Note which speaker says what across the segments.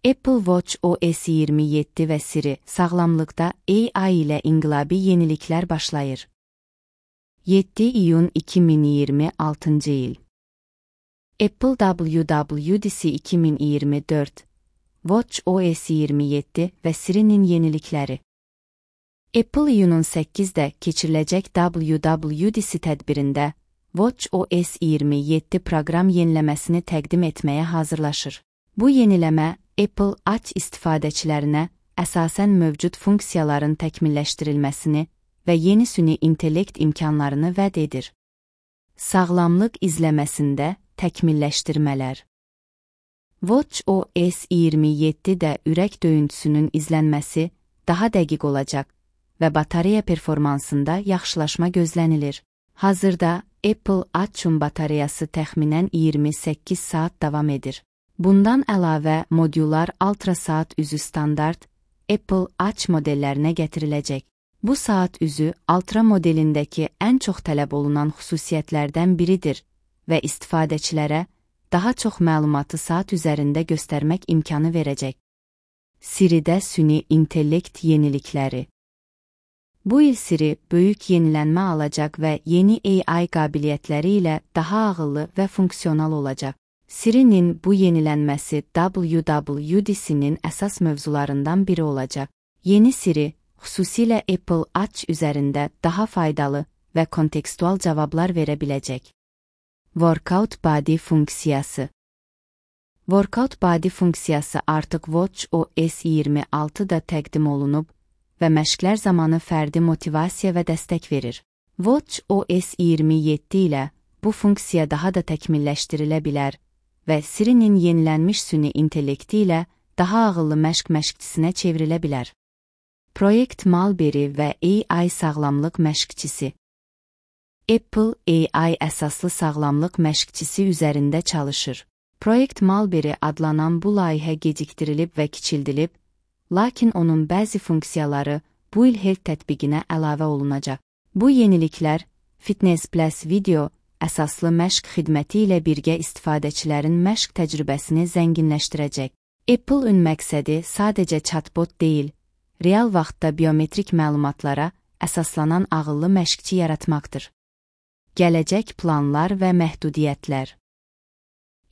Speaker 1: Apple Watch OS 27 və Siri sağlamlıqda AI ilə inqilabi yeniliklər başlayır. 7 iyun 2026 il. Apple WWDC 2024, Watch OS 27 və Siri'nin yenilikləri. Apple iyunun 8-də keçiriləcək WWDC tədbirində Watch OS 27 proqram yeniləməsini təqdim etməyə hazırlaşır. Bu yeniləmə Apple Watch istifadəçilərinə əsasən mövcud funksiyaların təkmilləşdirilməsini və yeni süni intellekt imkanlarını vəd edir. Sağlamlıq izləməsində təkmilləşdirmələr. Watch OS 27-də ürək döyüntüsünün izlənməsi daha dəqiq olacaq və batareya performansında yaxşılaşma gözlənilir. Hazırda Apple Watch'un batareyası təxminən 28 saat davam edir. Bundan əlavə modyular ultra saat üzü standart Apple Watch modellərinə gətiriləcək. Bu saat üzü ultra modelindəki ən çox tələb olunan xüsusiyyətlərdən biridir və istifadəçilərə daha çox məlumatı saat üzərində göstərmək imkanı verəcək. Siri'də süni intellekt yenilikləri. Bu il Siri böyük yenilənmə alacaq və yeni AI qabiliyyətləri ilə daha ağıllı və funksional olacaq. Siri'nin bu yenilənməsi WWDC-nin əsas mövzularından biri olacaq. Yeni Siri, xüsusilə Apple Watch üzərində daha faydalı və kontekstual cavablar verə biləcək. Workout Body funksiyası. Workout Body funksiyası artıq Watch OS 26-da təqdim olunub və məşqlər zamanı fərdi motivasiya və dəstək verir. Watch OS 27 ilə bu funksiya daha da təkmilləşdirilə bilər və Siri'nin yenilənmiş süni intellekti ilə daha ağıllı məşq məşqçisinə çevrilə bilər. Project Mulberry və AI sağlamlıq məşqçisi. Apple AI əsaslı sağlamlıq məşqçisi üzərində çalışır. Project Mulberry adlanan bu layihə gecikdirilib və kiçildilib, lakin onun bəzi funksiyaları bu il Health tətbiqinə əlavə olunacaq. Bu yeniliklər Fitness Plus video əsaslı məşq xidməti ilə birgə istifadəçilərin məşq təcrübəsini zənginləşdirəcək. Apple-ün məqsədi sadəcə chatbot deyil, real vaxtda biometrik məlumatlara əsaslanan ağıllı məşqçi yaratmaqdır. Gələcək planlar və məhdudiyyətlər.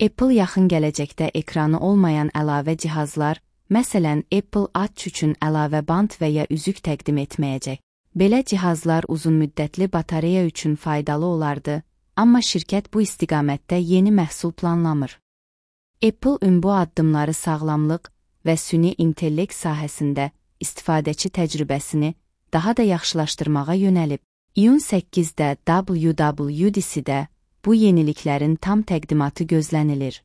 Speaker 1: Apple yaxın gələcəkdə ekranı olmayan əlavə cihazlar, məsələn Apple Watch üçün əlavə band və ya üzük təqdim etməyəcək. Belə cihazlar uzunmüddətli batareya üçün faydalı olardı, amma şirkət bu istiqamətdə yeni məhsul planlamır. Apple bu addımları sağlamlıq və süni intellekt sahəsində istifadəçi təcrübəsini daha da yaxşılaşdırmağa yönəlib. İyun 8-də WWDC-də bu yeniliklərin tam təqdimatı gözlənilir.